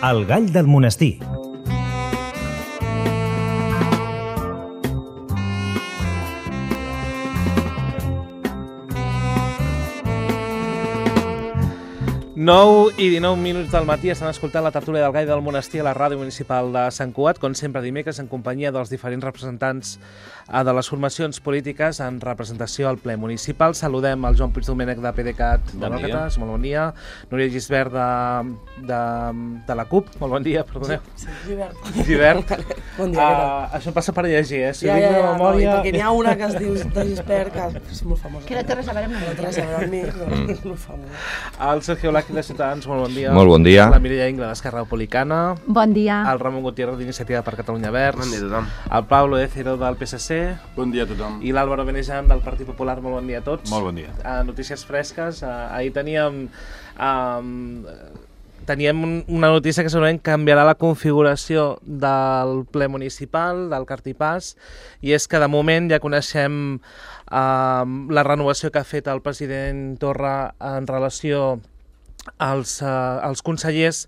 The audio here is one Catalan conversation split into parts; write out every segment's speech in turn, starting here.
El gall del monestir. Nou i 19 minuts del matí estan escoltant la tertúlia del Gall del Monestir a la ràdio municipal de Sant Cugat, com sempre dimecres en companyia dels diferents representants de les formacions polítiques en representació al ple municipal. Saludem el Joan Puigdomènech de PDeCAT de Nalcates, molt bon dia. Núria Gisbert de la CUP, molt bon dia, perdoneu. Sí, Givert. Bon dia, què tal? Això passa per llegir, Si Ja, dic de memòria... no, perquè n'hi ha una que es diu de Gisbert, que és molt famosa. Que no té res a veure amb No té res a veure amb mi, però és molt famosa. El Sergio Blaqui de Ciutadans, molt bon dia. Molt bon dia. La Mireia Ingla d'Esquerra Republicana. Bon dia. El Ramon Gutiérrez d'Iniciativa per Catalunya Verds. Bon dia a tothom. El Pablo Écero del PSC. Bon dia a tothom. I l'Álvaro Benejan del Partit Popular. Molt bon dia a tots. Molt bon dia. Notícies fresques. Ahir teníem una notícia que segurament canviarà la configuració del ple municipal, del Cartipàs, i és que de moment ja coneixem la renovació que ha fet el president Torra en relació als consellers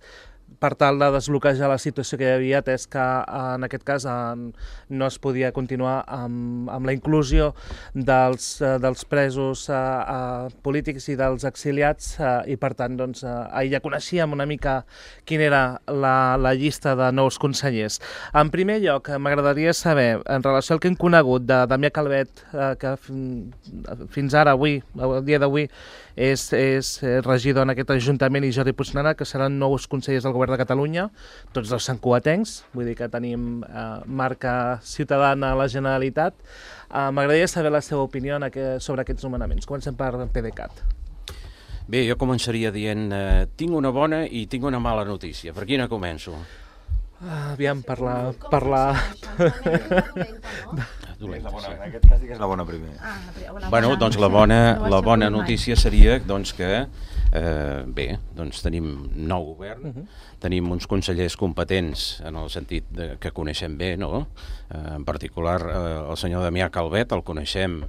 per tal de desbloquejar la situació que hi havia, atès que en aquest cas no es podia continuar amb la inclusió dels presos polítics i dels exiliats i per tant ahir ja coneixíem una mica quina era la llista de nous consellers. En primer lloc, m'agradaria saber, en relació al que hem conegut de Damià Calvet, que fins ara, avui, el dia d'avui, és regidor en aquest Ajuntament, i Jordi Puignerà, que seran nous consellers del Govern de Catalunya, tots els santcugatencs, vull dir que tenim marca ciutadana a la Generalitat. M'agradaria saber la seva opinió sobre aquests nomenaments. Comencem per PDeCAT. Bé, jo començaria dient tinc una bona i tinc una mala notícia. Per quina començo? Aviam, per la... En aquest cas és la bona primera. Bueno, doncs la bona notícia seria doncs, que bé, doncs tenim nou govern, tenim uns consellers competents en el sentit que coneixem bé, no? En particular el senyor Damià Calvet el coneixem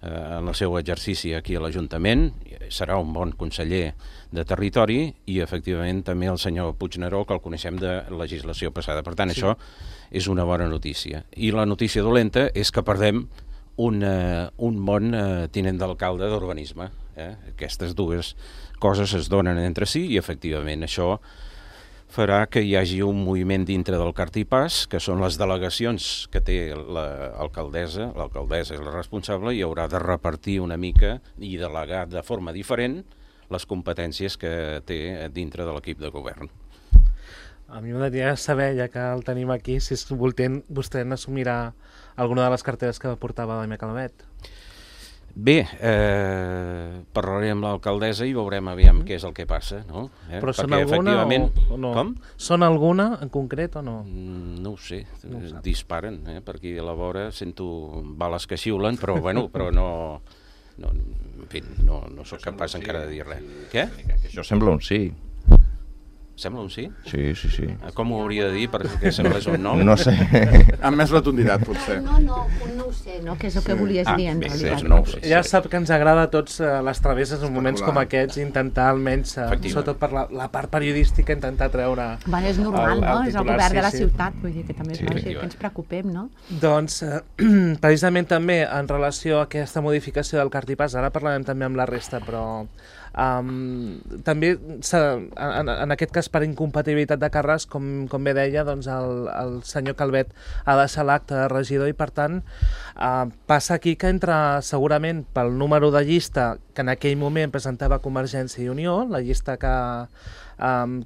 en el seu exercici aquí a l'Ajuntament, serà un bon conseller de territori, i efectivament també el senyor Puigneró, que el coneixem de legislació passada. Per tant, sí, això és una bona notícia. I la notícia dolenta és que perdem un bon tinent d'alcalde d'urbanisme. Aquestes dues coses es donen entre si i efectivament això farà que hi hagi un moviment dintre del Cartipàs, que són les delegacions que té l'alcaldessa és la responsable, i haurà de repartir una mica i delegar de forma diferent les competències que té dintre de l'equip de govern. A mi m'agradaria saber, ja que el tenim aquí, si vostè n'assumirà alguna de les carteres que portava Damià Calvet. Bé, parlaré amb l'alcaldessa i veurem aviam què és el que passa, no? Però són alguna o no? Com? Són alguna en concret o no? No ho sé, disparen, per aquí a la vora sento bales que xiulen, però bueno, no sóc capaç encara de dir res. Què? Això sembla un sí. Sembla un sí? Sí. Com ho hauria de dir perquè semblés un no? No sé. Amb més rotunditat, potser. No ho sé, no? Que és el que volies dir en realitat. No ho sé. Ja sap que ens agrada a tots les travesses en moments com aquests, intentar almenys, sobretot per la part periodística, intentar treure Bueno, és normal, no? És el govern de la ciutat, vull dir que també és lògic que ens preocupem, no? Doncs, precisament també en relació a aquesta modificació del Cartipàs, ara parlarem també amb la resta, però també en aquest cas per incompatibilitat de càrrecs, com bé deia, doncs el senyor Calvet ha deixat l'acte de regidor i per tant passa aquí que entra segurament pel número de llista que en aquell moment presentava Convergència i Unió, la llista que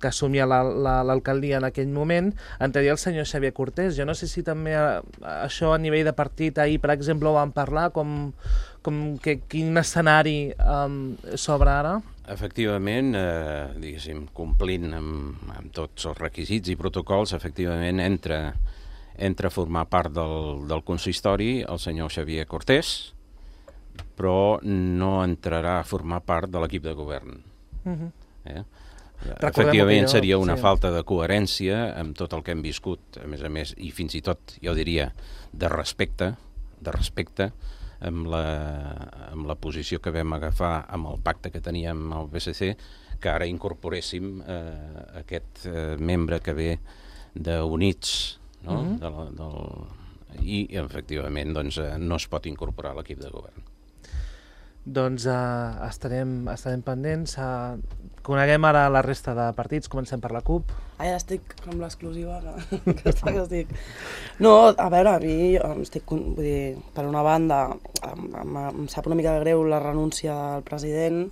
assumia l'alcaldia en aquell moment, entraria el senyor Xavier Cortés. Jo no sé si també això a nivell de partit ahir, per exemple, ho vam parlar, quin escenari s'obre ara? Efectivament, diguéssim, complint amb tots els requisits i protocols, efectivament entra a formar part del consistori el senyor Xavier Cortés, però no entrarà a formar part de l'equip de govern. Efectivament seria una falta de coherència amb tot el que hem viscut, a més, i fins i tot, jo diria, de respecte amb la posició que vam agafar amb el pacte que teníem amb el PSC, que ara incorporéssim aquest membre que ve d'Units, no? I efectivament doncs, no es pot incorporar a l'equip de govern. Doncs estarem pendents. Coneguem ara la resta de partits. Comencem per la CUP. Ja estic amb l'exclusiva que estic... No, a veure, a mi estic, vull dir, per una banda, em sap una mica de greu la renúncia del president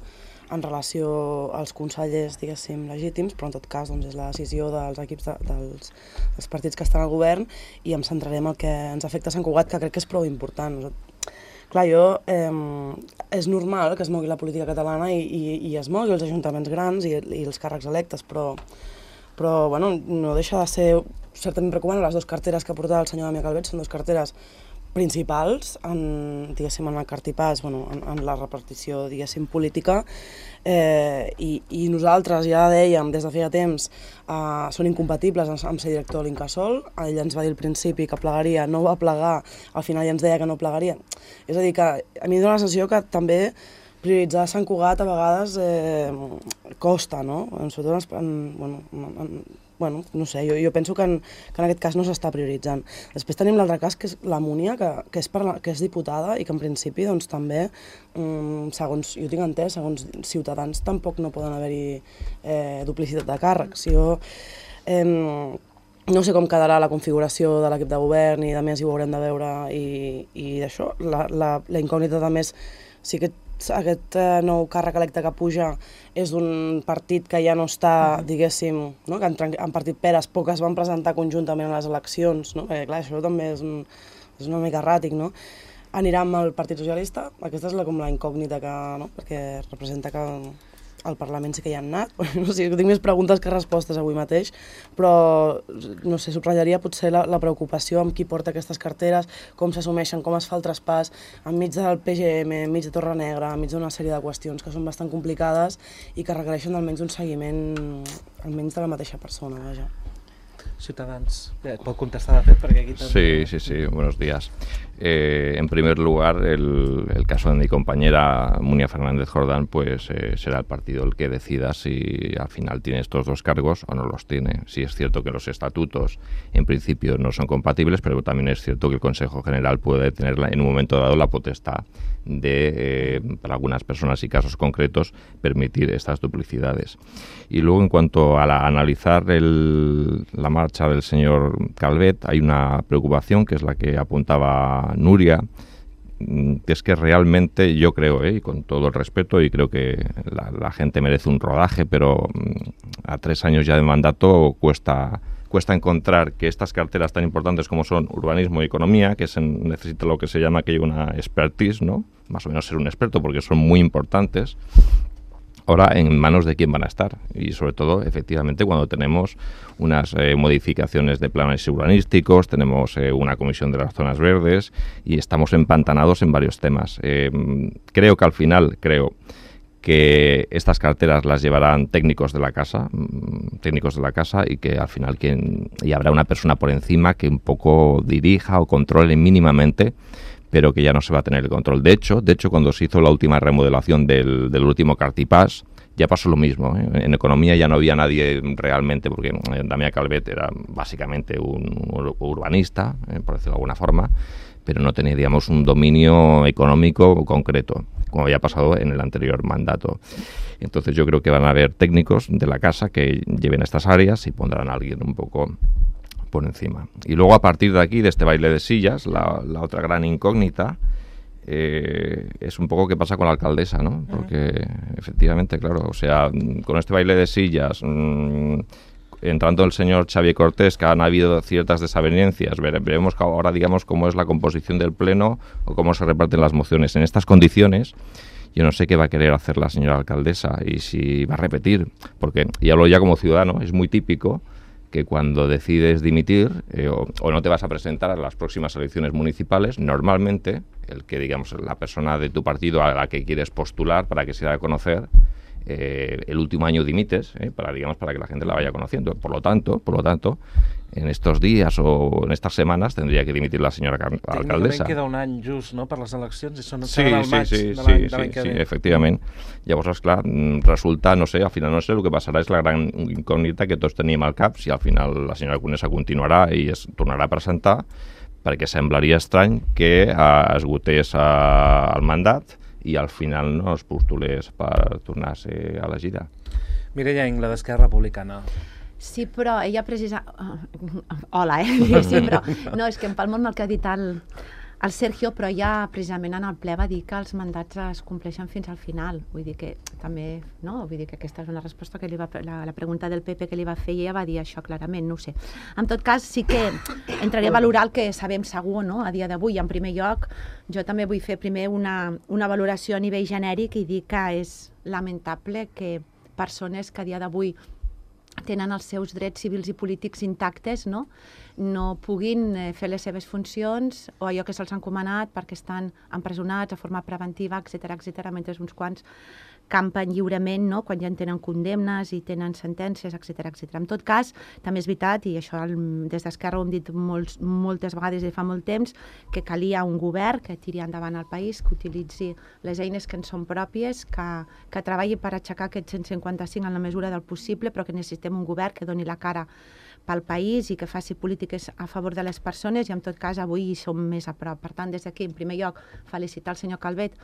en relació als consellers, diguéssim, legítims, però en tot cas doncs, és la decisió dels equips dels partits que estan al govern, i em centraré en el que ens afecta a Sant Cugat, que crec que és prou important. Clar, és normal que es mogui la política catalana i es mogui els ajuntaments grans i els càrrecs electes, però bueno, no deixa de ser certament preocupant. Les dues carteres que portava el senyor Damià Calvet són dues carteres principals en el cartipàs, en la repartició, diguéssim, política, i nosaltres ja dèiem des de feia temps són incompatibles amb ser director de l'Incasòl. Ell ens va dir al principi que plegaria, no va plegar, al final ja ens deia que no plegaria. És a dir, que a mi em dóna la sensació que també prioritzar Sant Cugat a vegades costa, no? Sobretot no sé, jo penso que en aquest cas no s'està prioritzant. Després tenim l'altre cas, que és la Múnia, que és diputada i que en principi doncs, també, segons jo tinc entès, segons Ciutadans tampoc no poden haver-hi duplicitat de càrrecs. Jo no sé com quedarà la configuració de l'equip de govern i de més hi ho haurem de veure i d'això. La incògnita de més, sí que aquest nou càrrec electe que puja és d'un partit que ja no està, diguéssim, no? Que han partit peres, poques van presentar conjuntament a les eleccions, no? Perquè clar, això també és una mica erràtic, no? Anirà amb el Partit Socialista, aquesta és com la incògnita que, no? Perquè representa que al Parlament sí que hi han anat. No sé, tinc més preguntes que respostes avui mateix, però no sé, subratllaria potser la preocupació amb qui porta aquestes carteres, com s'assumeixen, com es fa el traspàs, enmig del PGM, enmig de Torrenegra, enmig d'una sèrie de qüestions que són bastant complicades i que requereixen almenys un seguiment almenys de la mateixa persona, vaja. Ciutadans, pot contestar de fet perquè aquí també... Sí, buenos días. En primer lugar, el caso de mi compañera Munia Fernández Jordán, pues será el partido el que decida si al final tiene estos dos cargos o no los tiene. Sí es cierto que los estatutos en principio no son compatibles, pero también es cierto que el Consejo General puede tener en un momento dado la potestad de, para algunas personas y casos concretos, permitir estas duplicidades. Y luego, en cuanto a analizar la marcha del señor Calvet, hay una preocupación que es la que apuntaba Nuria, que es que realmente yo creo, y con todo el respeto, y creo que la gente merece un rodaje, pero a 3 años ya de mandato cuesta encontrar que estas carteras tan importantes como son urbanismo y economía, que necesita lo que se llama que una expertise, ¿no? Más o menos ser un experto, porque son muy importantes. Ahora, ¿en manos de quién van a estar? Y sobre todo, efectivamente, cuando tenemos unas modificaciones de planes urbanísticos, tenemos una comisión de las zonas verdes y estamos empantanados en varios temas. Creo que al final, que estas carteras las llevarán técnicos de la casa y que al final y habrá una persona por encima que un poco dirija o controle mínimamente, pero que ya no se va a tener el control. De hecho, cuando se hizo la última remodelación del último Cartipàs, ya pasó lo mismo, ¿eh? En economía ya no había nadie realmente, porque Damià Calvet era básicamente un urbanista, por decirlo de alguna forma, pero no tenía, digamos, un dominio económico concreto, como había pasado en el anterior mandato. Entonces yo creo que van a haber técnicos de la casa que lleven estas áreas y pondrán a alguien un poco por encima. Y luego, a partir de aquí, de este baile de sillas, la otra gran incógnita es un poco qué pasa con la alcaldesa, ¿no? Porque efectivamente, claro, o sea, con este baile de sillas, entrando el señor Xavier Cortés, que han habido ciertas desavenencias, veremos ahora, digamos, cómo es la composición del pleno o cómo se reparten las mociones. En estas condiciones, yo no sé qué va a querer hacer la señora alcaldesa y si va a repetir, porque, y hablo ya como ciudadano, es muy típico que cuando decides dimitir o no te vas a presentar a las próximas elecciones municipales, normalmente el que, digamos, la persona de tu partido a la que quieres postular para que se dé a conocer el último año dimites, para que la gente la vaya conociendo. Por lo tanto, en estos días o en estas semanas tendría que dimitir la señora alcaldessa. Tècnicament queda un any just, no?, per les eleccions, i són Sí, al maig de l'any que ve. Sí, efectivament. Llavors, esclar, resulta, no sé, al final no sé, el que passarà és la gran incògnita que tots tenim al cap, si al final la senyora Conesa continuarà i es tornarà a presentar, perquè semblaria estrany que esgotés el mandat i al final no es postulés per tornar a ser elegida. Mireia Ingla, d'Esquerra Republicana. Sí, però ella Hola, sí, però... No, és que em palmo amb el que ha dit el Sergio, però ja precisament en el ple va dir que els mandats es compleixen fins al final. Vull dir que també, no? Vull dir que aquesta és una resposta que la pregunta del PP que li va fer i ella va dir això clarament, no ho sé. En tot cas, sí que entraré a valorar el que sabem segur, no?, a dia d'avui. En primer lloc, jo també vull fer primer una valoració a nivell genèric i dir que és lamentable que persones que a dia d'avui tenen els seus drets civils i polítics intactes, no puguin fer les seves funcions o allò que se'ls ha encomanat perquè estan empresonats de forma preventiva, etc., mentre uns quants campen lliurement, no?, quan ja en tenen condemnes i tenen sentències, etc. En tot cas, també és veritat, i això des d'Esquerra ho hem dit moltes vegades i fa molt temps, que calia un govern que tiri endavant el país, que utilitzi les eines que en són pròpies, que treballi per aixecar aquest 155 en la mesura del possible, però que necessitem un govern que doni la cara pel país i que faci polítiques a favor de les persones, i en tot cas avui hi som més a prop. Per tant, des d'aquí, en primer lloc, felicitar el senyor Calvet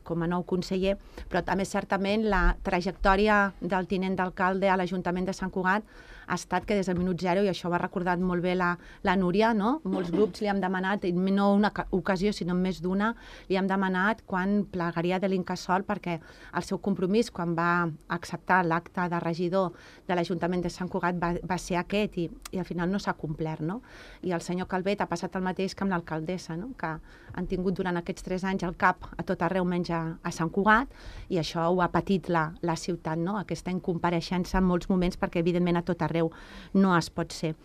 com a nou conseller, però també certament la trajectòria del tinent d'alcalde a l'Ajuntament de Sant Cugat ha estat que des del minut zero, i això ho ha recordat molt bé la Núria, no? Molts grups li hem demanat, no una ocasió, sinó més d'una, li hem demanat quan plegaria de l'Incasòl, perquè el seu compromís, quan va acceptar l'acte de regidor de l'Ajuntament de Sant Cugat, va ser aquest, i al final no s'ha complert, no? I el senyor Calvet ha passat el mateix que amb l'alcaldessa, no?, que han tingut durant aquests 3 anys el cap a tot arreu menys a Sant Cugat, i això ho ha patit la ciutat, no?, aquesta incompareixença en molts moments, perquè evidentment a tot arreu no es pot ser.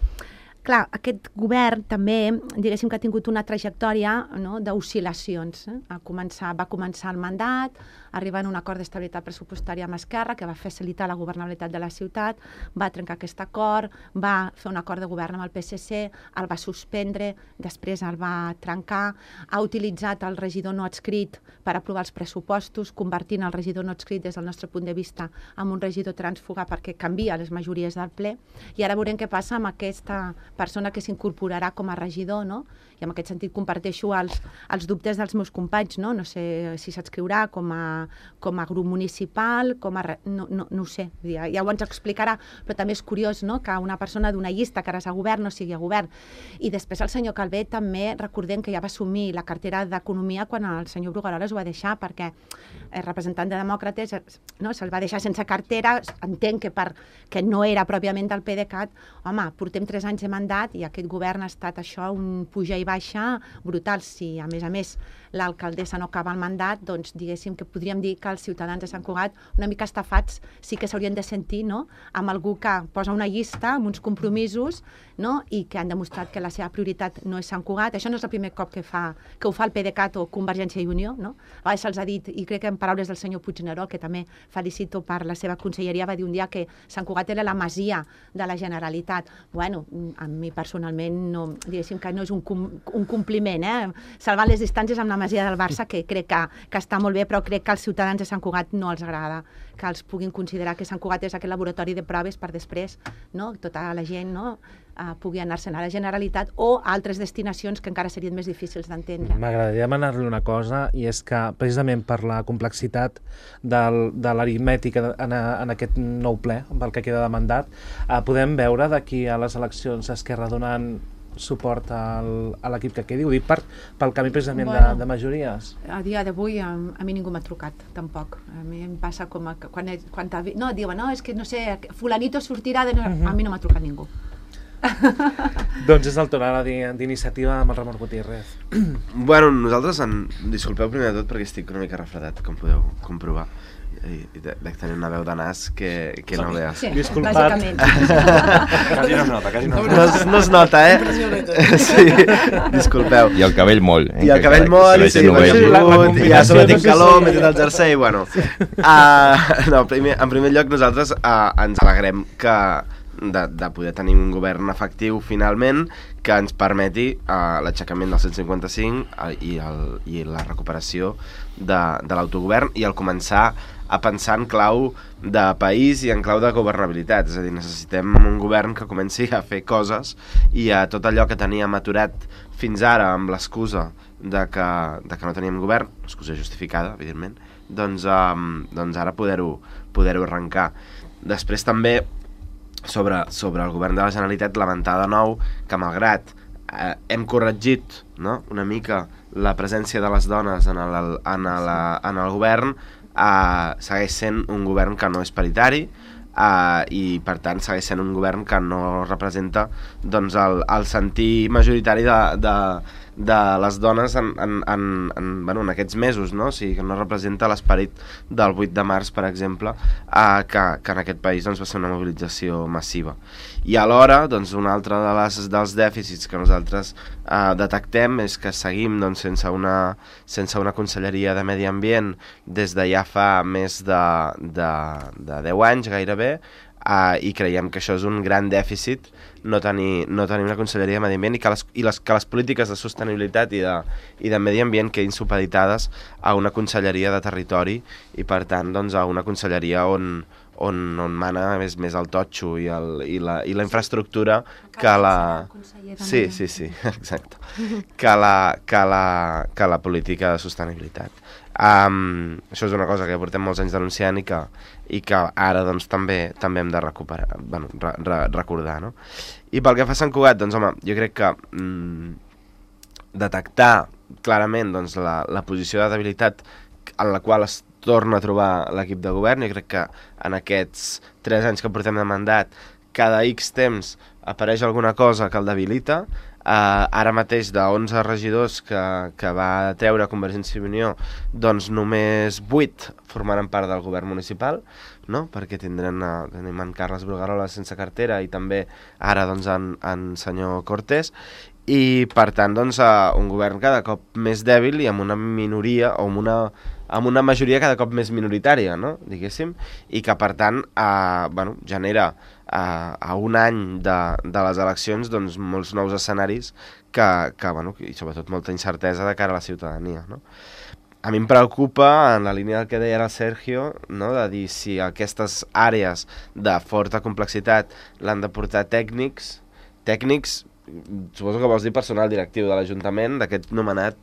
Clar, aquest govern també, diguéssim que ha tingut una trajectòria, no?, d'oscil·lacions. Va començar el mandat, arribant a un acord d'estabilitat pressupostària amb Esquerra, que va facilitar la governabilitat de la ciutat, va trencar aquest acord, va fer un acord de govern amb el PSC, el va suspendre, després el va trencar, ha utilitzat el regidor no adscrit per aprovar els pressupostos, convertint el regidor no adscrit des del nostre punt de vista en un regidor trànsfuga perquè canvia les majories del ple, i ara veurem què passa amb aquesta persona que s'incorporarà com a regidor, no? I en aquest sentit comparteixo els dubtes dels meus companys, no? No sé si s'adscriurà com a grup municipal, no ho sé, ja ho ens explicarà, però també és curiós, no?, que una persona d'una llista que ara és a govern no sigui a govern. I després el senyor Calvet també, recordem que ja va assumir la cartera d'Economia quan el senyor Brugueroles ho va deixar, perquè el representant de Demòcrates, no?, se'l va deixar sense cartera, entenc que no era pròpiament del PDeCAT. Home, portem 3 anys de mandat i aquest govern ha estat això, un puja i baixa brutal. Si a més l'alcaldessa no acaba el mandat, doncs diguéssim que podríem dir que els ciutadans de Sant Cugat, una mica estafats, sí que s'haurien de sentir, no?, amb algú que posa una llista amb uns compromisos, no?, i que han demostrat que la seva prioritat no és Sant Cugat. Això no és el primer cop que ho fa el PDeCAT o Convergència i Unió, no? A vegades se'ls ha dit, i crec que en paraules del senyor Puigneró, que també felicito per la seva conselleria, va dir un dia que Sant Cugat era la masia de la Generalitat. Bueno, a mi personalment no, diguéssim que no és un compliment, salvar les distàncies amb la masia del Barça, que crec que està molt bé, però crec que als ciutadans de Sant Cugat no els agrada que els puguin considerar que Sant Cugat és aquest laboratori de proves per després, no?, tota la gent, no?, pugui anar-se'n a la Generalitat o a altres destinacions que encara serien més difícils d'entendre. M'agradaria demanar-li una cosa, i és que precisament per la complexitat de l'aritmètica en aquest nou ple, pel que queda de mandat, podem veure d'aquí a les eleccions Esquerra donant suport a l'equip que quedi? Ho dic pel canvi precisament de majories. A dia d'avui a mi ningú m'ha trucat, tampoc. A mi em passa com quan diuen, no, és que no sé, fulanito sortirà de... A mi no m'ha trucat ningú. Doncs és el torn ara d'iniciativa amb el Ramon Gutiérrez. Bueno, nosaltres, disculpeu primer de tot perquè estic una mica refredat, com podeu comprovar. i dec tenir una veu de nas que no veus. Sí, Disculpat. bàsicament. Quasi no es nota, quasi no es nota. No es nota, Sí, disculpeu. I el cabell molt. I el cabell molt, i sí, i a sobre tinc calor, m'he tret el jersei, bueno. No, en primer lloc nosaltres ens alegrem de poder tenir un govern efectiu finalment que ens permeti l'aixecament del 155 i la recuperació de l'autogovern i el començar a pensar en clau de país i en clau de governabilitat. És a dir, necessitem un govern que comenci a fer coses i a tot allò que teníem aturat fins ara amb l'excusa de que no teníem govern, excusa justificada, evidentment, doncs ara poder-ho arrencar. Després també sobre el govern de la Generalitat lamentar de nou que malgrat hem corregit, no?, una mica la presència de les dones en el govern, segueix sent un govern que no és paritari i per tant segueix sent un govern que no representa doncs, el sentir majoritari de les dones en aquests mesos, no? O sigui, que no representa l'esperit del 8 de març, per exemple, que en aquest país doncs, va ser una mobilització massiva. I alhora, doncs, un altre dels dèficits que nosaltres detectem és que seguim doncs, sense una conselleria de Medi Ambient des de ja fa més de 10 anys gairebé, i creiem que això és un gran dèficit no tenir una conselleria de Medi Ambient i que les polítiques de sostenibilitat i de Medi Ambient quedin supeditades a una conselleria de territori i per tant doncs, a una conselleria on mana més el totxo i la infraestructura que la... Sí, exacte. Que la política de sostenibilitat. Això és una cosa que portem molts anys denunciant i que ara doncs, també hem de recuperar, recordar, no? I pel que fa a Sant Cugat, doncs home, jo crec que detectar clarament doncs, la posició de debilitat en la qual es torna a trobar l'equip de govern. Jo crec que en aquests 3 anys que portem de mandat, cada X temps apareix alguna cosa que el debilita. Ara mateix de 11 regidors que va treure Convergència i Unió, doncs només 8 formaran part del govern municipal, no? Perquè tenim en Carles Bruguerola sense cartera i també ara doncs, en senyor Cortés, i per tant doncs, un govern cada cop més dèbil i amb una minoria o amb una majoria cada cop més minoritària, no? Diguéssim, i que per tant genera a un any de les eleccions doncs, molts nous escenaris i sobretot molta incertesa de cara a la ciutadania, no? A mi em preocupa, en la línia del que deia el Sergio, no? De dir si aquestes àrees de forta complexitat l'han de portar tècnics, suposo que vols dir personal directiu de l'Ajuntament, d'aquest nomenat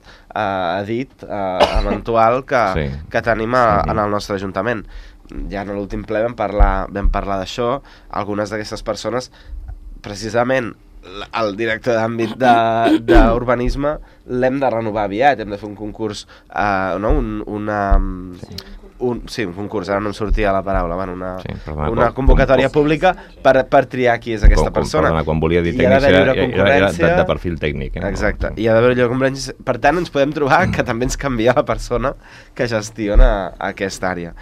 edit eventual que tenim en el nostre Ajuntament. Ja en l'últim ple vam parlar d'això. Algunes d'aquestes persones, precisament el director d'àmbit d'urbanisme l'hem de renovar aviat, hem de fer un concurs, un concurs, ara no em sortia la paraula, una convocatòria pública per triar qui és aquesta persona. Quan volia dir tècnic era de perfil tècnic. Exacte, i ha d'haver-hi concurrència. Per tant, ens podem trobar que també ens canvia la persona que gestiona aquesta àrea.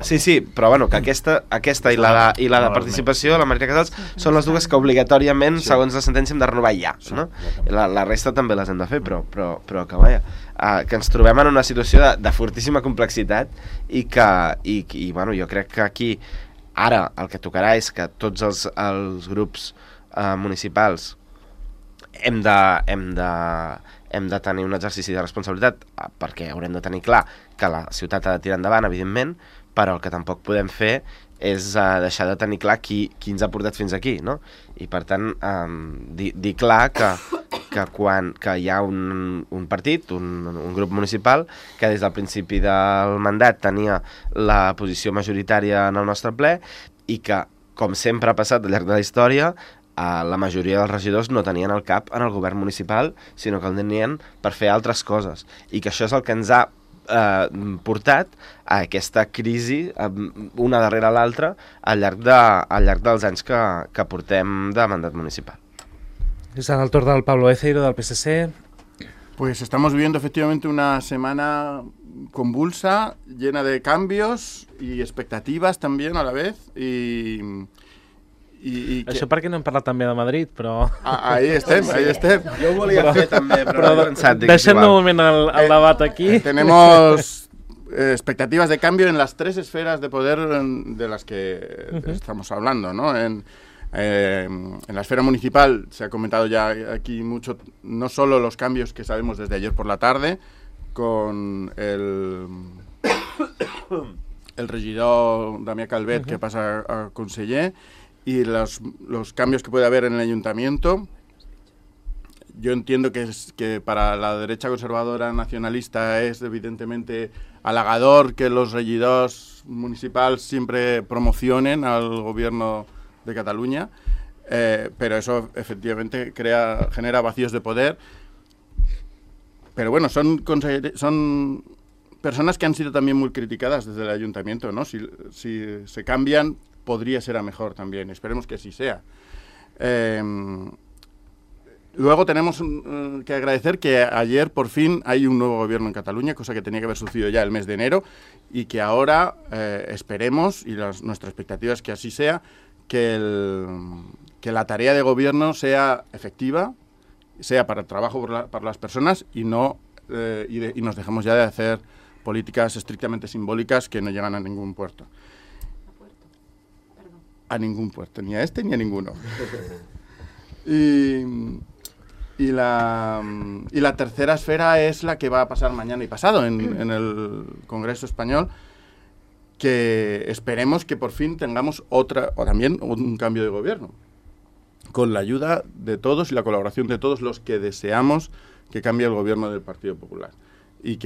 Sí, però bueno, que aquesta i la de participació, la Maria Casals, són les dues que obligatòriament, segons la sentència, hem de renovar ja, no? La resta també les hem de fer, però que vaja, que ens trobem en una situació de fortíssima complexitat i bueno, jo crec que aquí ara el que tocarà és que tots els grups municipals hem de tenir un exercici de responsabilitat, perquè haurem de tenir clar que la ciutat ha de tirar endavant, evidentment, però el que tampoc podem fer és deixar de tenir clar qui ens ha portat fins aquí, no? I per tant, dir clar que hi ha un partit, un grup municipal, que des del principi del mandat tenia la posició majoritària en el nostre ple i que, com sempre ha passat al llarg de la història, la majoria dels regidors no tenien el cap en el govern municipal, sinó que el tenien per fer altres coses. I que això és el que ens ha portat a aquesta crisi, una darrere l'altra, al llarg dels anys que portem de mandat municipal. És el torn del Pablo Eceiro, del PSC. Pues estamos viviendo efectivamente una semana convulsa, llena de cambios y expectativas también a la vez. Això perquè no hem parlat també de Madrid, però... Ahí estem. Jo ho volia fer també, però he pensat... Deixem de moment el debat aquí. Tenemos expectativas de cambio en las 3 esferas de poder de las que estamos hablando, ¿no? En la esfera municipal se ha comentado ya aquí mucho, no solo los cambios que sabemos desde ayer por la tarde, con el regidor Damià Calvet que pasa a conseller, y los cambios que puede haber en el ayuntamiento. Yo entiendo que para la derecha conservadora nacionalista es evidentemente halagador que los regidors municipals siempre promocionen al gobierno de Cataluña, pero eso efectivamente genera vacíos de poder. Pero bueno, son personas que han sido también muy criticadas desde el ayuntamiento, ¿no? Si se cambian, podría ser a mejor también. Esperemos que así sea. Luego tenemos que agradecer que ayer por fin hay un nuevo gobierno en Cataluña, cosa que tenía que haber sucedido ya el mes de enero, y que ahora esperemos, y nuestra expectativa es que así sea, que la tarea de gobierno sea efectiva, sea para el trabajo para las personas y nos dejemos ya de hacer políticas estrictamente simbólicas que no llegan a ningún puerto. A ningún puerto, ni a este ni a ninguno. Y la tercera esfera es la que va a pasar mañana y pasado en el Congreso Español, que esperemos que por fin tengamos también un cambio de gobierno, con la ayuda de todos y la colaboración de todos los que deseamos que cambie el gobierno del Partido Popular. Y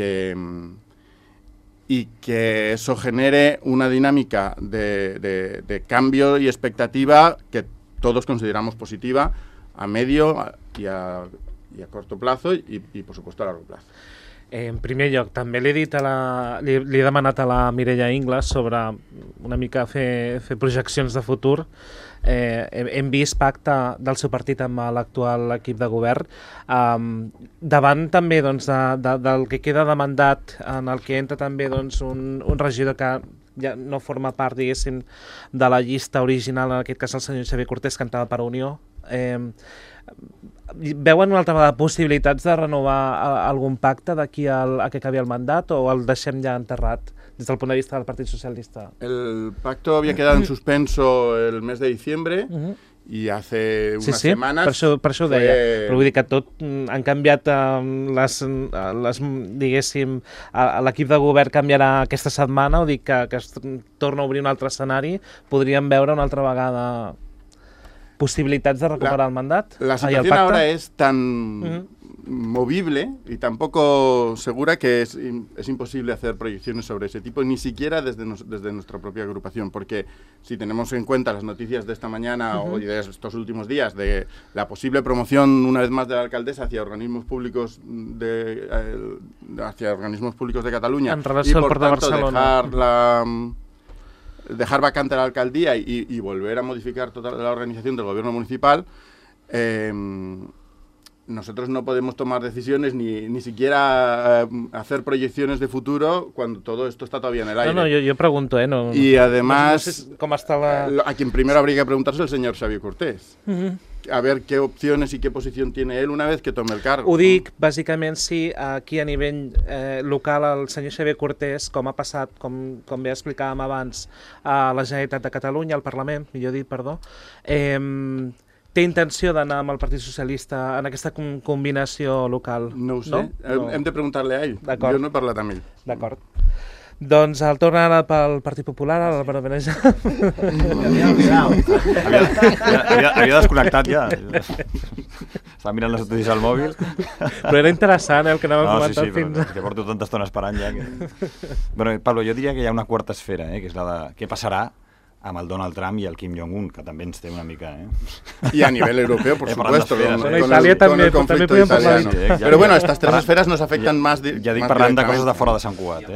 que eso genere una dinámica de cambio y expectativa que todos consideramos positiva a medio y a corto plazo y por supuesto a largo plazo. En primer lloc, també li he demanat a la Mireia Ingles sobre una mica fer projeccions de futur. Hem vist pacte del seu partit amb l'actual equip de govern. Davant també del que queda de mandat, en el que entra també un regidor que ja no forma part, diguéssim, de la llista original, en aquest cas el senyor Xavier Cortés, que entrava per Unió. Veuen una altra vegada possibilitats de renovar algun pacte d'aquí a que acabi el mandat, o el deixem ja enterrat des del punt de vista del Partit Socialista? El pacto había quedado en suspenso el mes de diciembre y hace unas semanas... Sí, per això ho deia. Però vull dir que tot han canviat diguéssim, l'equip de govern canviarà aquesta setmana, o dir que es torna a obrir un altre escenari, podríem veure una altra vegada posibilitats de recuperar el mandat? La situación ahora es tan movible y tan poco segura que es imposible hacer proyecciones sobre ese tipo, ni siquiera desde nuestra propia agrupación, porque si tenemos en cuenta las noticias de esta mañana y de estos últimos días de la posible promoción una vez más de la alcaldesa hacia organismos públicos de Cataluña y por tanto dejar vacante la alcaldía y volver a modificar toda la organización del gobierno municipal, nosotros no podemos tomar decisiones ni siquiera hacer proyecciones de futuro cuando todo esto está todavía en el aire. No, yo pregunto, ¿no? Y además, no sé cómo está a quien primero habría que preguntarse es el señor Xavier Cortés. A ver qué opciones y qué posición tiene él una vez que tome el cargo. Ho dic, bàsicament, si aquí a nivell local el senyor Xavier Cortés, com ha passat, com bé explicàvem abans, a la Generalitat de Catalunya, al Parlament, millor dit, perdó, té intenció d'anar amb el Partit Socialista en aquesta combinació local? No ho sé, no? Hem de preguntar-li a ell. Jo no he parlat amb ell. D'acord. Doncs el torna ara pel Partit Popular, a l'Álvaro Benejam. Havia desconnectat ja. Estava mirant les notícies al mòbil. Però era interessant el que anàvem comentant fins... Sí, que porto tanta estona esperant ja. Bueno, Pablo, jo diria que hi ha una quarta esfera, que és la de què passarà amb el Donald Trump y el Kim Jong-un, que también té una mica... Y a nivel europeo, por supuesto, con el conflicto italiano. Pero bueno, estas tres esferas nos afectan más directamente. Ja dic parlant de coses de fora de Sant Cugat,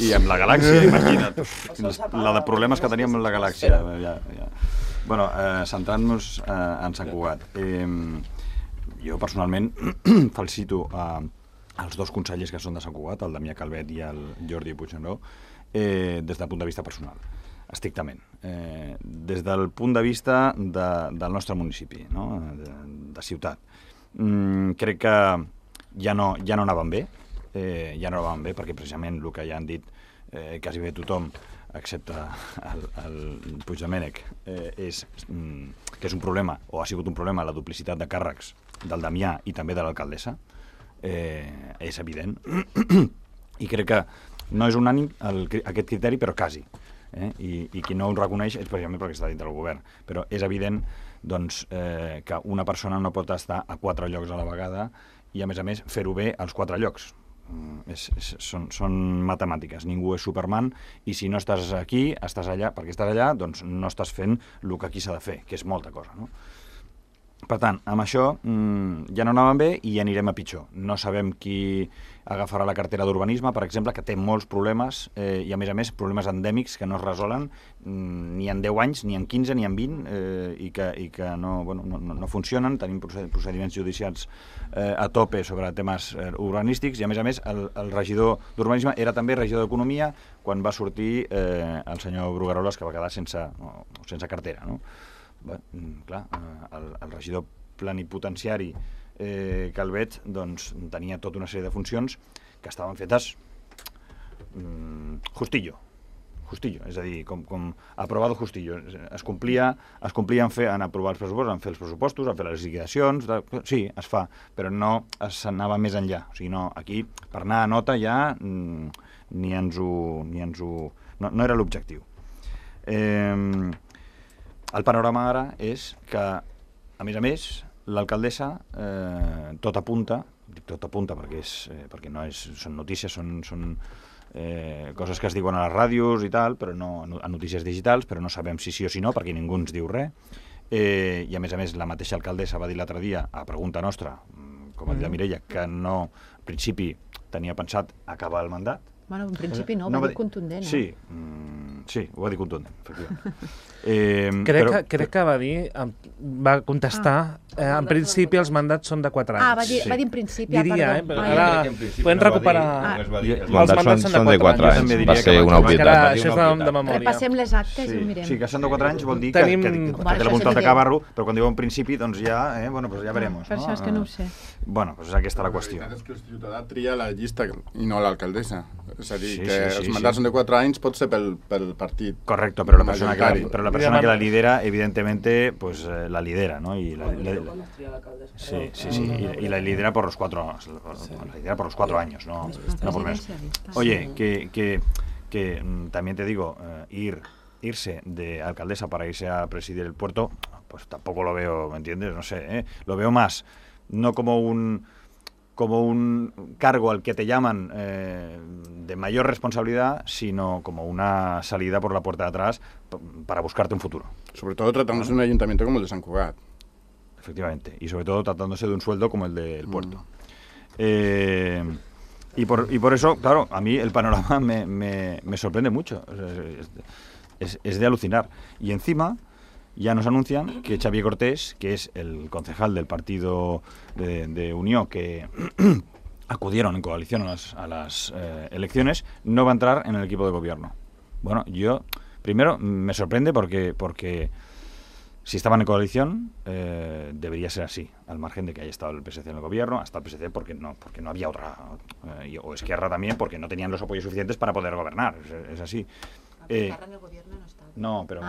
I amb la galàxia, imagina't. La de problemes que teníem amb la galàxia. Bueno, centrant-nos en Sant Cugat. Jo personalment felicito els dos consellers que són de Sant Cugat, el Damià Calvet i el Jordi Puigneró, des del punt de vista personal, estrictament. Des del punt de vista del nostre municipi, no? de ciutat. Crec que ja no anaven bé, perquè precisament el que ja han dit quasi bé tothom, excepte el Puigdomènech, és que és un problema, o ha sigut un problema, la duplicitat de càrrecs del Damià i també de l'alcaldessa. És evident. I crec que no és unànim aquest criteri, però quasi. I qui no ho reconeix és precisament perquè està dintre del govern. Però és evident doncs, que una persona no pot estar a 4 llocs a la vegada i, a més, fer-ho bé als 4 llocs. Són matemàtiques, ningú és Superman, i si no estàs aquí, estàs allà, perquè estàs allà, doncs no estàs fent el que aquí s'ha de fer, que és molta cosa, no? Per tant, amb això ja no anàvem bé i anirem a pitjor. No sabem qui agafarà la cartera d'urbanisme, per exemple, que té molts problemes i, a més, problemes endèmics que no es resolen ni en 10 anys, ni en 15, ni en 20 i que no funcionen. Tenim procediments judicials a tope sobre temes urbanístics i, a més, el regidor d'urbanisme era també regidor d'economia quan va sortir el senyor Brugueroles, que va quedar sense cartera, no? Bé, clar, el regidor plenipotenciari Calvet doncs, tenia tota una sèrie de funcions que estaven fetes justillo, és a dir, com aprovado justillo. Es complia en aprovar els pressupostos, en fer els pressupostos, en fer les liquidacions, sí, es fa, però no s'anava més enllà. O sigui, no, aquí, per anar a nota ja, no era l'objectiu. El panorama ara és que, a més, l'alcaldessa tot apunta, dic tot apunta perquè no són notícies, són coses que es diuen a les ràdios i tal, però no a notícies digitals, però no sabem si sí o si no, perquè ningú ens diu res. I, a més, la mateixa alcaldessa va dir l'altre dia, a pregunta nostra, com ha dit la Mireia, que no, en principi, tenia pensat acabar el mandat. Bueno, en principi no, va dir contundent. Sí, ho va dir contundent, efectivament. Crec que va contestar, en principi els mandats són de 4 anys. Va dir en principi, diria, però ara podem recuperar... Els mandats són de 4 anys, va ser una obvietat. Això és de memòria. Repassem les actes i ho mirem. Sí, que són de 4 anys vol dir que té la voluntat d'acabar-lo, però quan diu en principi, doncs ja verem. Per això és que no ho sé. Bueno, doncs aquesta és la qüestió. És que el ciutadà tria la llista i no l'alcaldessa. És a dir, que els mandats són de 4 anys pot ser pel partit. Correcto, però la persona que la lidera, evidentemente, pues la lidera, ¿no? Y la lidera por los 4 años, no por menos. Oye, que también te digo, irse de alcaldesa para irse a presidir el puerto, pues tampoco lo veo, ¿me entiendes? No sé, lo veo más, no como un cargo al que te llaman de mayor responsabilidad, sino como una salida por la puerta de atrás para buscarte un futuro. Sobre todo tratándose de un ayuntamiento como el de Sant Cugat. Efectivamente, y sobre todo tratándose de un sueldo como el del puerto. Y por eso, claro, a mí el panorama me sorprende mucho. Es de alucinar. Y encima ya nos anuncian que Xavier Cortés, que es el concejal del partido de Unió que acudieron en coalición a las elecciones, no va a entrar en el equipo de gobierno. Bueno, yo primero me sorprende porque si estaban en coalición debería ser así, al margen de que haya estado el PSC en el gobierno, hasta el PSC porque no había otra, o Esquerra también porque no tenían los apoyos suficientes para poder gobernar, es así. Esquerra en el gobierno no está. No, però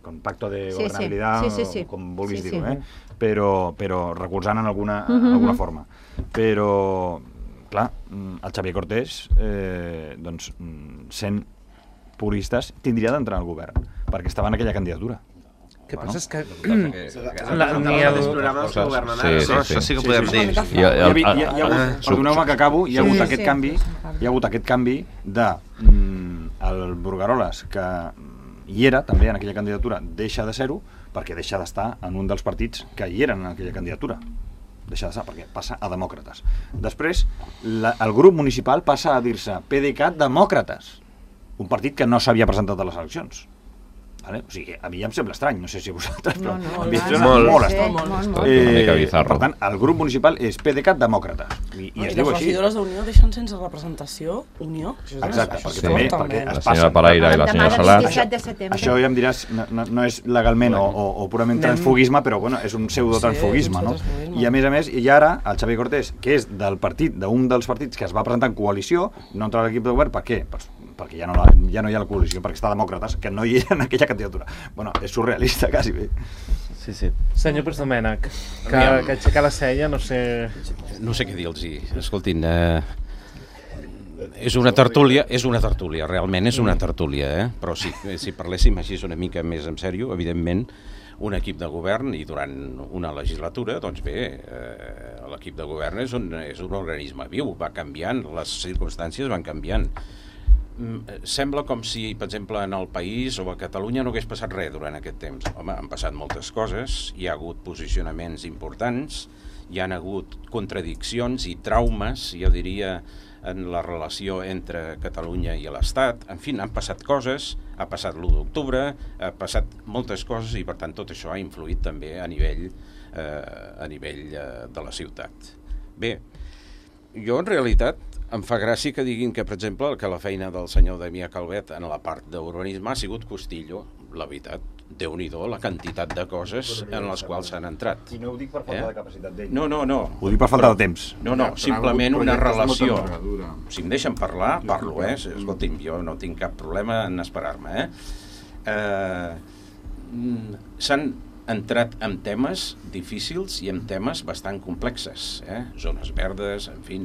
con pacto de gobernabilitat, com vulguis dir-ho, però recolzant en alguna forma. Però, clar, el Xavier Cortés, doncs, sent puristes, tindria d'entrar al govern, perquè estava en aquella candidatura. El que passa és que... Els programes que governen ara, això sí que ho podem dir. Perdoneu-me que acabo, hi ha hagut aquest canvi de el Brugueroles, que hi era també en aquella candidatura, deixa de ser-ho perquè deixa d'estar en un dels partits que hi eren en aquella candidatura. Deixa d'estar perquè passa a Demòcrates. Després, el grup municipal passa a dir-se PDeCAT Demòcrates, un partit que no s'havia presentat a les eleccions. Vale? O sigui, a mi ja em sembla estrany, no sé si a vosaltres, però No, a mi em clar, sembla molt molt estrany. estrany. Per tant, el grup municipal és PDeCAT Demòcrates, i es diu les així. regidores d'Unió deixen sense representació Unió? Exacte, Això perquè és també fort, perquè també. es La senyora passen. Paraire i la senyora Salat. 27 de setembre. Això ja em diràs, no és legalment o purament transfuguisme, però bueno, és un pseudotransfuguisme, no? I a més, i ara el Xavi Cortés, que és d'un dels partits que es va presentar en coalició, no entra a l'equip de govern, per què? Perquè ja no hi ha la coalició, perquè està Demòcrates, que no hi era en aquella candidatura. Bueno, és surrealista, quasi bé. Sí. Senyor Puigdomènech, que aixeca la cella, no sé... No sé què dir-los. Escoltin, és una tertúlia, realment és una tertúlia, però si parléssim així una mica més en sèrio, evidentment, un equip de govern i durant una legislatura, doncs bé, l'equip de govern és un organisme viu, va canviant, les circumstàncies van canviant. Sembla com si, per exemple, en el país o a Catalunya no hagués passat res durant aquest temps. Home, han passat moltes coses, hi ha hagut posicionaments importants, hi han hagut contradiccions i traumes, jo diria, en la relació entre Catalunya i l'Estat. En fi, han passat coses, ha passat l'1 d'octubre, ha passat moltes coses i, per tant, tot això ha influït també a nivell de la ciutat. Bé, jo en realitat em fa gràcia que diguin que, per exemple, que la feina del senyor Damià Calvet en la part d'urbanisme ha sigut Costillo. La veritat, Déu-n'hi-do la quantitat de coses en les quals s'han entrat. I no ho dic per falta de capacitat d'ell. No. Ho dic per falta de temps. No, simplement una relació. Si em deixen parlar, parlo, Escolti'm, jo no tinc cap problema en esperar-me, S'han entrat en temes difícils i en temes bastant complexes, zones verdes, en fi,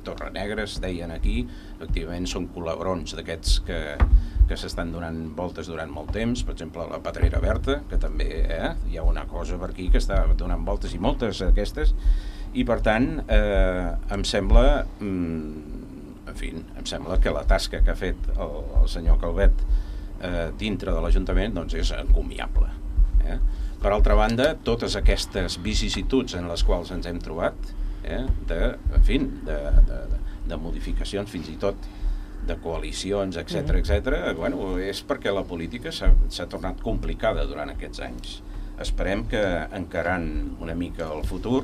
Torre Negra, es deien aquí, efectivament són colabrons d'aquests que s'estan donant voltes durant molt temps, per exemple la Pedrera Verda, que també hi ha una cosa per aquí que està donant voltes i moltes d'aquestes, i per tant em sembla que la tasca que ha fet el senyor Calvet dintre de l'Ajuntament doncs és encomiable. Per altra banda, totes aquestes vicissituds en les quals ens hem trobat, de modificacions, fins i tot de coalicions, etc., bueno, és perquè la política s'ha tornat complicada durant aquests anys. Esperem que encarant una mica el futur,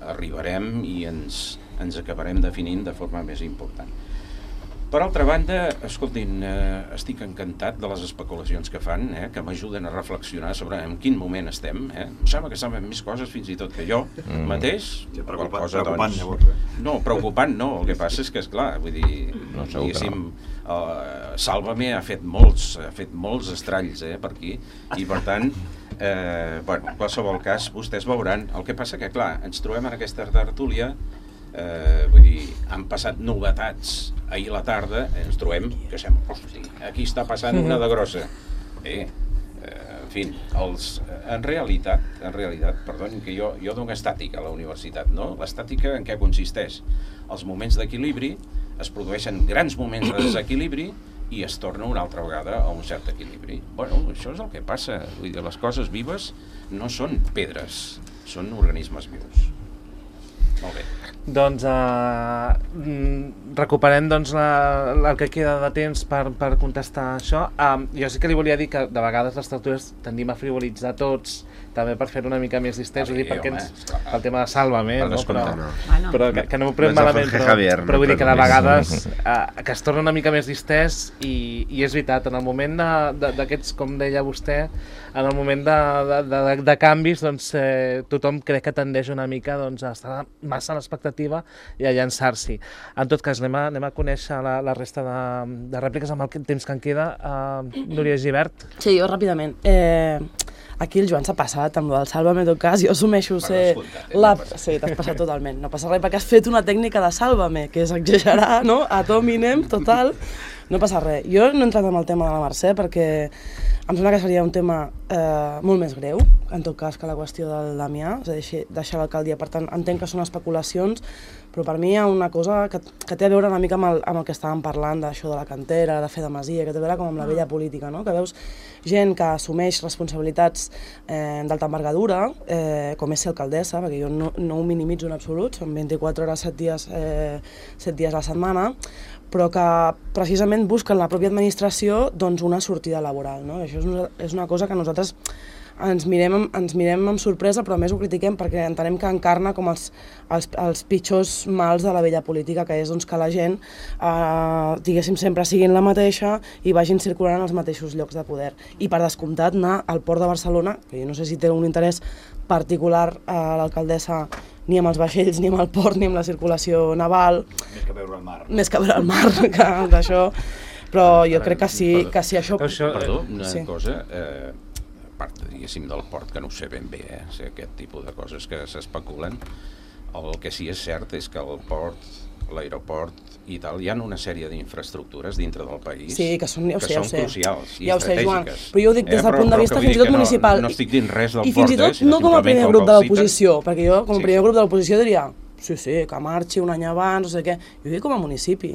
arribarem i ens acabarem definint de forma més important. Per altra banda, escoltin, estic encantat de les especulacions que fan, que m'ajuden a reflexionar sobre en quin moment estem. Em sembla que saben més coses fins i tot que jo mateix. Preocupant, llavors. No, preocupant no, el que passa és que, esclar, vull dir, diguéssim, Sálvame ha fet molts estralls per aquí, i per tant, en qualsevol cas, vostès veuran. El que passa que, clar, ens trobem en aquesta tertúlia, vull dir, han passat novetats. Ahir a la tarda ens trobem que hosti, aquí està passant una de grossa. En fi, en realitat, perdonin que jo dono estàtica a la universitat, no? L'estàtica en què consisteix? Els moments d'equilibri, es produeixen grans moments de desequilibri i es torna una altra vegada a un cert equilibri. Bueno, això és el que passa. Vull dir, les coses vives no són pedres, són organismes vius. Molt bé. Doncs recuperem el que queda de temps per contestar això. Jo sí que li volia dir que de vegades les tertúlies tendim a frivolitzar tots, també per fer-ho una mica més distès, perquè el tema de Sálvame, però que no m'ho prenc malament, però vull dir que de vegades que es torna una mica més distès i és veritat, en el moment d'aquests, com deia vostè, en el moment de canvis, doncs tothom crec que tendeix una mica a estar massa a l'expectativa i a llançar-s'hi. En tot cas, anem a conèixer la resta de rèpliques amb el temps que en queda. Núria Gibert. Sí, jo ràpidament. Aquí el Joan s'ha passat amb el Sálvame, en tot cas, jo assumeixo ser... Sí, t'has passat totalment. No passa res, perquè has fet una tècnica de Sálvame, que és exagerar, no? Ad hominem, total. No passa res. Jo no he entrat en el tema de la Mercè perquè em sembla que seria un tema molt més greu, en tot cas, que la qüestió del Damià, és a dir, deixar l'alcaldia. Per tant, entenc que són especulacions, Però per mi hi ha una cosa que té a veure una mica amb el que estàvem parlant, d'això de la cantera, de fer de masia, que té a veure com amb la vella política, no? Que veus gent que assumeix responsabilitats d'alta envergadura, com és ser alcaldessa, perquè jo no ho minimitzo en absolut, són 24 hores, 7 dies a la setmana, però que precisament busquen la pròpia administració doncs, una sortida laboral. No? Això és una cosa que nosaltres ens mirem amb sorpresa, però a més ho critiquem perquè entenem que encarna com els pitjors mals de la vella política, que és doncs, que la gent, diguéssim, sempre siguin la mateixa i vagin circulant en els mateixos llocs de poder. I per descomptat anar al Port de Barcelona, que jo no sé si té un interès particular a l'alcaldessa ni amb els vaixells, ni amb el port, ni amb la circulació naval. Més que veure el mar. Més que veure el mar, que d'això. Però jo crec que sí això... Perdó, una cosa, a part, diguéssim, del port, que no ho sé ben bé, aquest tipus de coses que s'especulen, el que sí és cert és que el port, l'aeroport i tal, hi ha una sèrie d'infraestructures dintre del país que són crucials i estratègiques. Però jo ho dic des del punt de vista fins i tot municipal. No estic dint res del port, i fins i tot no com a primer grup de l'oposició, perquè jo com a primer grup de l'oposició diria sí, que marxi un any abans, no sé què. Jo dic com a municipi.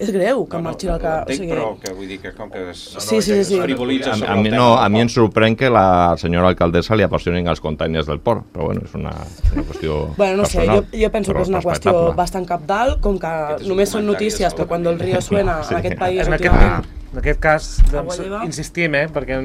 És greu que marxi el que... Entenc, però que vull dir que com que es frivolitza sobre el tema... A mi em sorprèn que la senyora alcaldessa li apassionin els containers del port, però bueno, és una qüestió no sé, personal. Jo penso que és una qüestió bastant cabdal, com que només són notícies, però quan el río suena en aquest país... En aquest cas, doncs, insistim, perquè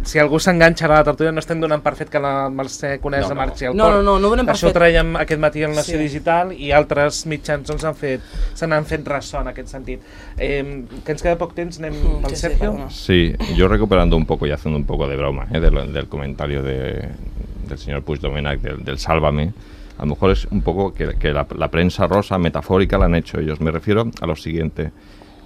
si algú s'enganxa a la tertúlia no estem donant per fet que la Mercè Conesa marxi al port. No donem per fet. Això ho traiem aquest matí al Nació Digital i altres mitjans se n'han fet ressò en aquest sentit. Que ens queda poc temps, anem pel Sergio. Sí, yo recuperando un poco y haciendo un poco de broma del comentario del señor Puigdomènech del Sálvame, a lo mejor es un poco que la prensa rosa metafórica la han hecho ellos. Me refiero a lo siguiente.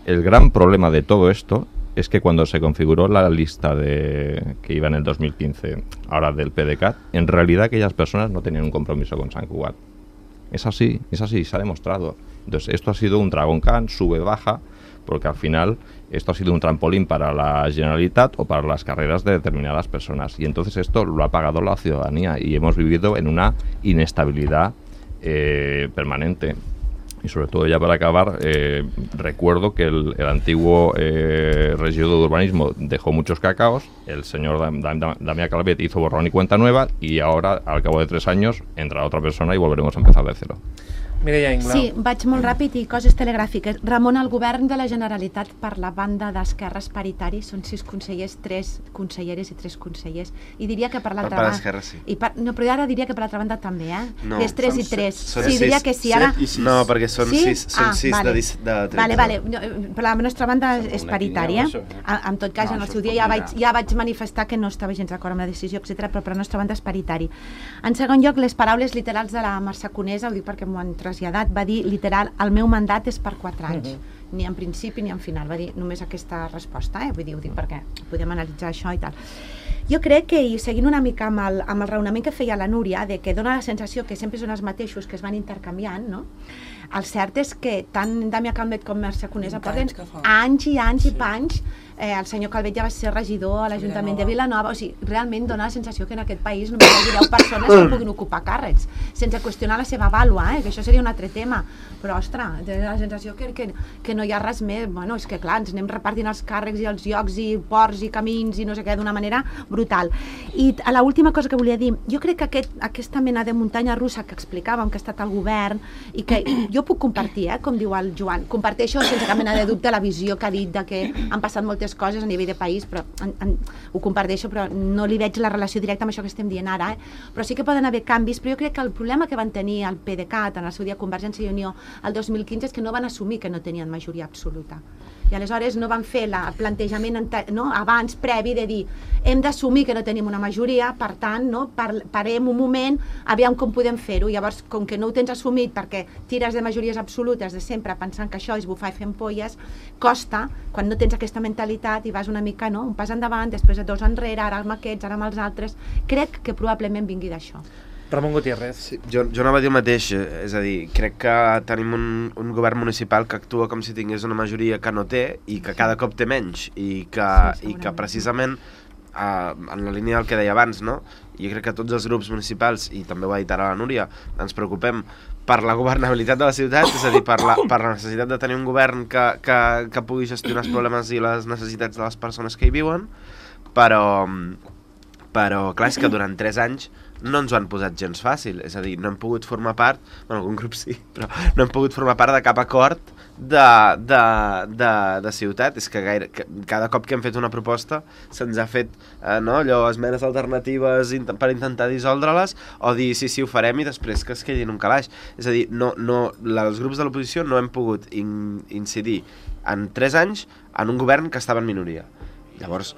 El gran problema de todo esto es que cuando se configuró la lista que iba en el 2015, ahora del PDeCAT, en realidad aquellas personas no tenían un compromiso con Sant Cugat. Es así, se ha demostrado. Entonces, esto ha sido un Dragon Khan, sube-baja, porque al final esto ha sido un trampolín para la Generalitat o para las carreras de determinadas personas. Y entonces esto lo ha pagado la ciudadanía y hemos vivido en una inestabilidad permanente. Y sobre todo, ya para acabar, recuerdo que el antiguo regidor de urbanismo dejó muchos cacaos, el señor Damià Calvet hizo borrón y cuenta nueva, y ahora, al cabo de 3 años, entrarà otra persona y volveremos a empezar de cero. Mireia Inglau. Sí, vaig molt ràpid i coses telegràfiques. Ramon, el govern de la Generalitat per la banda d'Esquerres paritari són 6 consellers, 3 conselleres i 3 consellers. I diria que per l'altra banda... Per sí. Però ara diria que per l'altra banda també, No, és 3 i 3. Sí, diria que sí. Ara... No, perquè són 6 de 30. Vale. Per la nostra banda és paritària. En tot cas, en el seu dia ja vaig manifestar que no estava gens d'acord amb la decisió, etc. però per la nostra banda és paritari. En segon lloc, les paraules literals de la Mercè Conesa, ho dic perquè m'ho han traslladat, va dir literal, el meu mandat és per 4 anys, ni en principi ni en final, va dir només aquesta resposta, vull dir, ho dic perquè podem analitzar això i tal. Jo crec que, i seguint una mica amb el raonament que feia la Núria, de que dona la sensació que sempre són els mateixos que es van intercanviant, no? El cert és que tant Damià Calvet com Mercè Conesa porten anys i anys i panys. El senyor Calvet ja va ser regidor a l'Ajuntament de Vilanova, o sigui, realment dona la sensació que en aquest país només hi hagi 10 persones que puguin ocupar càrrecs, sense qüestionar la seva vàlua, que això seria un altre tema, però, ostres, té la sensació que no hi ha res més. Bueno, és que clar, ens anem repartint els càrrecs i els llocs i ports i camins i no sé què d'una manera brutal. I a l'última cosa que volia dir, jo crec que aquesta mena de muntanya russa que explicàvem, que ha estat el govern, i que jo puc compartir, com diu el Joan, comparteixo sense cap mena de dubte la visió que ha dit de que han passat moltes coses a nivell de país, però ho comparteixo, però no li veig la relació directa amb això que estem dient ara, però sí que poden haver canvis, però jo crec que el problema que van tenir el PDeCAT en el seu dia Convergència i Unió el 2015 és que no van assumir que no tenien majoria absoluta. I aleshores no van fer el plantejament abans, previ, de dir hem d'assumir que no tenim una majoria, per tant, parem un moment, aviam com podem fer-ho. Llavors, com que no ho tens assumit perquè tires de majories absolutes de sempre pensant que això és bufar i fer ampolles, costa, quan no tens aquesta mentalitat i vas una mica, un pas endavant, després 2 enrere, ara amb aquests, ara amb els altres, crec que probablement vingui d'això. Ramon Gutiérrez. Sí, jo anava a dir el mateix, és a dir, crec que tenim un govern municipal que actua com si tingués una majoria que no té i que cada cop té menys i que precisament en la línia del que deia abans, no? Jo crec que tots els grups municipals, i també ho ha dit ara la Núria, ens preocupem per la governabilitat de la ciutat, és a dir, per la necessitat de tenir un govern que pugui gestionar els problemes i les necessitats de les persones que hi viuen, però clar, és que durant 3 anys no ens ho han posat gens fàcil, és a dir, no hem pogut formar part, bueno, algun grup sí, però no hem pogut formar part de cap acord de ciutat. És que cada cop que hem fet una proposta se'ns ha fet allò, esmenes alternatives per intentar dissoldre-les, o dir sí, ho farem, i després que es quedi en un calaix. És a dir, els grups de l'oposició no hem pogut incidir en 3 anys en un govern que estava en minoria. Llavors,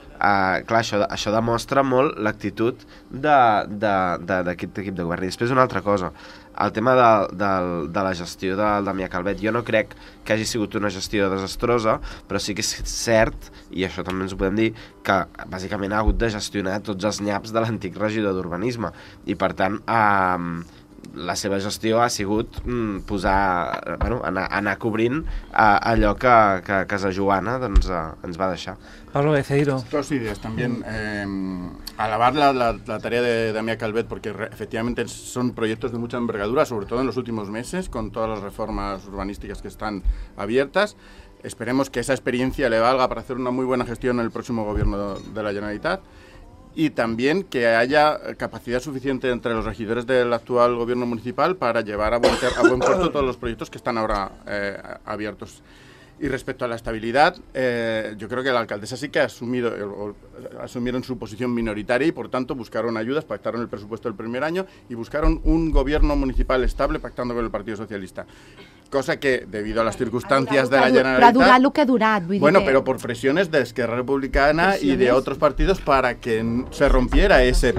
clar, això demostra molt l'actitud d'aquest equip de govern. I després una altra cosa, el tema de la gestió del Damià Calvet. Jo no crec que hagi sigut una gestió desastrosa, però sí que és cert, i això també ens ho podem dir, que bàsicament ha hagut de gestionar tots els nyaps de l'antic regidor d'Urbanisme. I per tant, la seva gestió ha sigut anar cobrint allò que Casa Joana ens va deixar. Pablo Beceiro. 2 ideas también. Alabar la tarea de Damià Calvet, porque efectivamente son proyectos de mucha envergadura, sobre todo en los últimos meses, con todas las reformas urbanísticas que están abiertas. Esperemos que esa experiencia le valga para hacer una muy buena gestión en el próximo gobierno de la Generalitat. Y también que haya capacidad suficiente entre los regidores del actual gobierno municipal para llevar a buen puerto todos los proyectos que están ahora abiertos. Y respecto a la estabilidad, yo creo que la alcaldesa sí que asumieron su posición minoritaria y por tanto buscaron ayudas, pactaron el presupuesto del primer año y buscaron un gobierno municipal estable pactando con el Partido Socialista. Cosa que, debido a las circunstancias de la Generalitat... Però ha durat el que ha durat, vull dir bueno, pero por presiones de Esquerra Republicana y de otros partidos para que se rompiera ese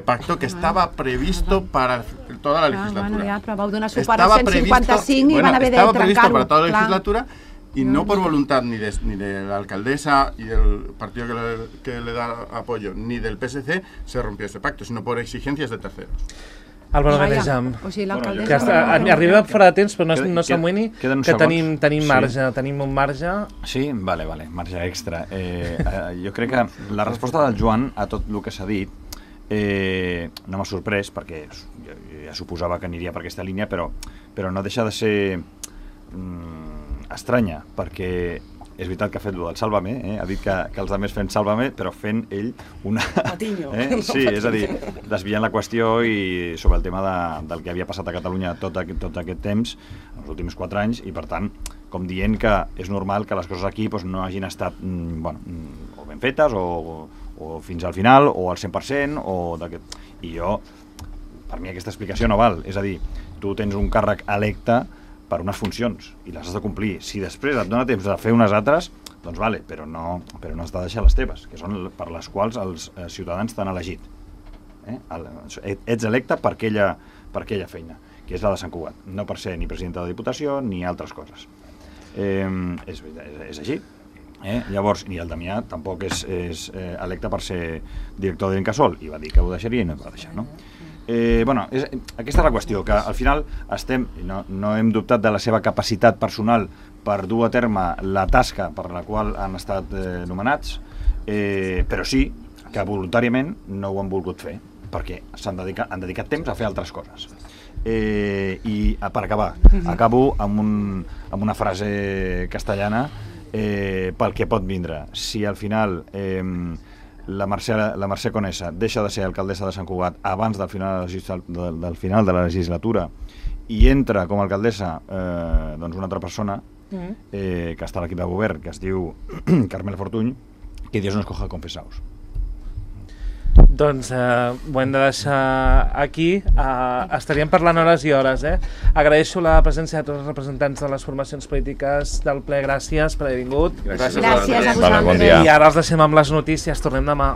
pacto que estaba previsto para toda la legislatura. Bueno, ja, però vau donar suport al 155 i van haver de trencar-ho. Estaba previsto para toda la legislatura y no por voluntad ni de la alcaldesa y del partido que le da apoyo, ni del PSC, se rompió ese pacto, sino por exigencias de terceros. Álvaro Benejam, que arriba fora de temps, però no s'amoïni, que tenim marge, tenim un marge. Sí? Vale, marge extra. Jo crec que la resposta del Joan a tot el que s'ha dit no m'ha sorprès, perquè ja suposava que aniria per aquesta línia, però no deixa de ser estranya, perquè és veritat que ha fet el del Sálvame, ha dit que els altres fent Sálvame, però fent ell una... Sí, és a dir, desviant la qüestió i sobre el tema del que havia passat a Catalunya tot aquest temps, els últims 4 anys, i per tant, com dient que és normal que les coses aquí no hagin estat o ben fetes, o fins al final, o al 100%, i per mi aquesta explicació no val. És a dir, tu tens un càrrec electe per unes funcions, i les has de complir. Si després et dona temps de fer unes altres, doncs vale, però no has de deixar les teves, que són per les quals els ciutadans t'han elegit. Ets electe per aquella feina, que és la de Sant Cugat, no per ser ni president de la Diputació ni altres coses. És així. Llavors, ni el Damià tampoc és electe per ser director d'Incasòl, i va dir que ho deixaria i no ho va deixar, no? Aquesta és la qüestió, que al final no hem dubtat de la seva capacitat personal per dur a terme la tasca per la qual han estat nomenats, però sí que voluntàriament no ho han volgut fer, perquè han dedicat temps a fer altres coses. I per acabar, acabo amb una frase castellana pel que pot vindre. Si al final la Mercè Conesa deixa de ser alcaldessa de Sant Cugat abans del final de la legislatura i entra com a alcaldessa una altra persona que està a l'equip de govern, que es diu Carmel Fortuny, que Dios nos coja confesaos. Doncs ho hem de deixar aquí. Estaríem parlant hores i hores. Agraeixo la presència de tots els representants de les formacions polítiques del ple. Gràcies per haver vingut. Gràcies a vosaltres. I ara els deixem amb les notícies. Tornem demà.